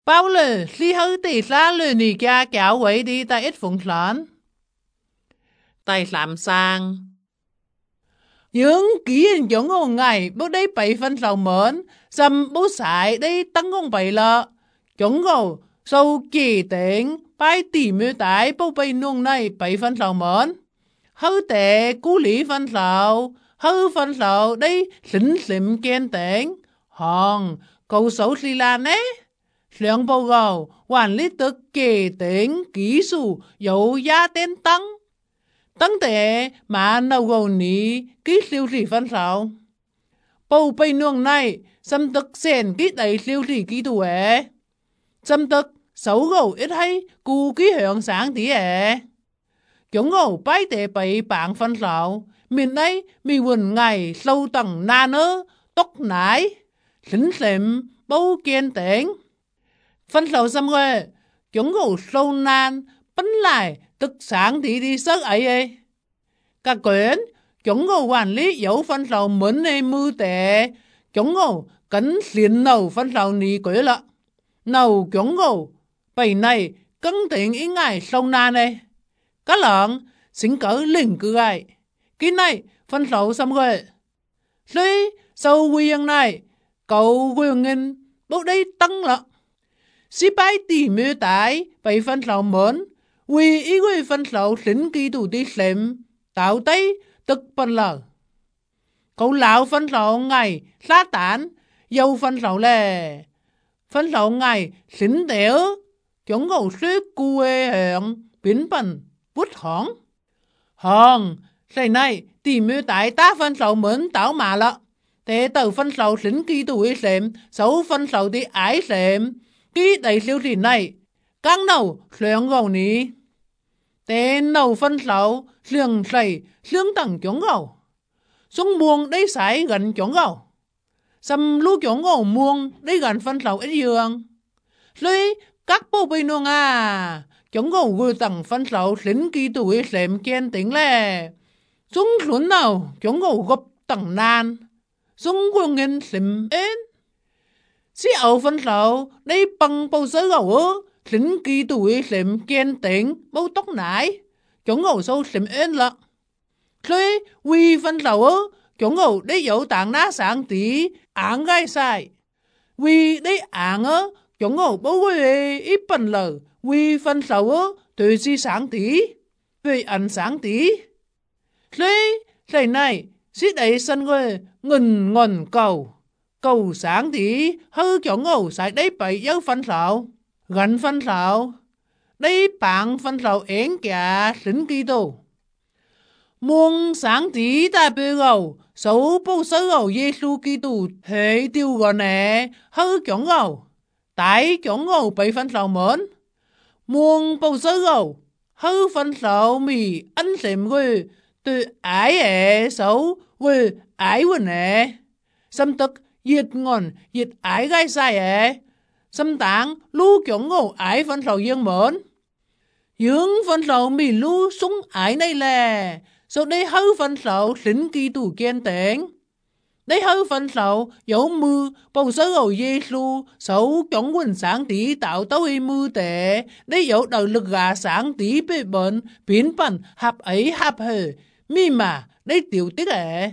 包了最後第三輪你家教會的第一封信。第三章，những kỹ hình giống ngô ngày bố đây bảy phân sầu mến, xâm bố sải đây tăng công bảy lợ. Chúng ngô sâu kỳ tính, bài tỉ mưu tái bố bảy nông này bảy phân sầu mến. Hư tệ cú lý phân sầu, hư phân sầu đây xính xịm kiên tính. Hòn, cầu xấu xì là nế. Lượng bầu gầu, hoàn lý tức kỳ tính, kỹ sư, dấu giá tên tăng. Tăng tế mà nâu gầu ní ký siêu thị phân sầu. Bầu bây nuông này, xâm tức xền ký đầy siêu thị ký tù ế. Xâm tức xấu gầu ít hay cú ký hưởng sáng tí ế. Chúng gầu bái tế bày bảng phân sầu. Mình ấy mì quần ngày sâu tầng nà nơ, tốc nái, xính xịm, bầu kiên tính. Phân sầu xâm quê, chúng gầu sâu nan, bánh lại tức sáng thì đi sớt ấy. Các quyến, chúng ngô quản lý dấu phân sầu mến này mưu tệ. Chúng ngô cấn xuyên nầu phân sầu ní quế lợ. Nầu chúng ngô, bầy này cân tính ý ngài sâu nan này. Các lợn, xính cỡ linh cư ai. Cái này, phân sầu xâm quê. Tuy, sâu quyền này, cậu quyền nghìn, bố đây tăng lợ. Sĩ bái tỉ mưu tái, bầy phân sầu mến. Vì ý quê phân sầu xính kỳ tù tí xếm, tạo tay tức phân lờ. Cậu lão phân sầu ngày xa tán, dâu phân sầu lè. Phân sầu ngày xính đéo, chúng cậu suy quê hẹn, biến bần, bút hóng. Hòn, xây này, tỉ mưu tái ta phân sầu mến tạo mà lợ. Thế tờ phân sầu xính kỳ tù ý xếm, xấu phân sầu tí ái xếm. Ký đầy siêu thị này, càng nâu xuyên gầu ní. Tên nâu phân sầu, xuyên sầy, xuyên tầng chống gầu. Xuống muông đấy sải gần chống gầu. Xâm lưu chống gầu muông đấy gần phân sầu ít dương. Rồi các bố bây nuông à, chống gầu gửi tầng phân sầu xính kỳ tuổi xem kiên tính lè. Xuống xuống nào chống gầu gấp tầng nan. Xuống quân nghìn xìm ến. Sĩ ẩu phân sầu đấy bằng bầu sớ gầu ơ. Xính kỳ tuổi xem kiên tính bầu tóc nái. Chúng ngầu sâu xìm ến lợ. Rồi vì phân sầu ơ. Chúng ngầu đấy dấu tảng ná sáng tí áng gai sai. Vì đấy áng ơ. Chúng ngầu bố quê ít bần lờ. Vì phân sầu ơ. Tùy si sáng tí. Vì ăn sáng tí. Rồi thầy này. Sĩ đấy sân quê ngần ngần cầu. Cầu sáng tí hư chúng ngầu xảy đấy bày dấu phân sầu. Gần phân sầu. Đây bằng phân sầu ến kìa xính kỳ tù. Muông sáng tí ta bê gầu. Xấu bố sớ gầu Giê-xu kỳ tù hệ tiêu gò nè. Hư chổng gầu. Tại chổng gầu bày phân sầu mến. Muông bố sớ gầu. Hư phân sầu mì ăn xềm quê. Từ ái ế xấu quê ái quê nè. Xâm tức diệt ngon diệt ái gai sai ế. Xâm tảng lưu chổng ngô ái phân sầu dương mến. Dương phân sầu mì lưu súng ái này lè. Sau đây hư phân sầu xính kỳ tù kiên tính. Đây hư phân sầu dấu mư bầu sớ gầu Giê-xu. Xấu chổng quỳnh sáng tí tạo tấu y mư tệ. Đây dấu đầu lực gà sáng tí bê bệnh. Biến bần hạp ấy hạp hề. Mi mà đây tiểu tiết ế.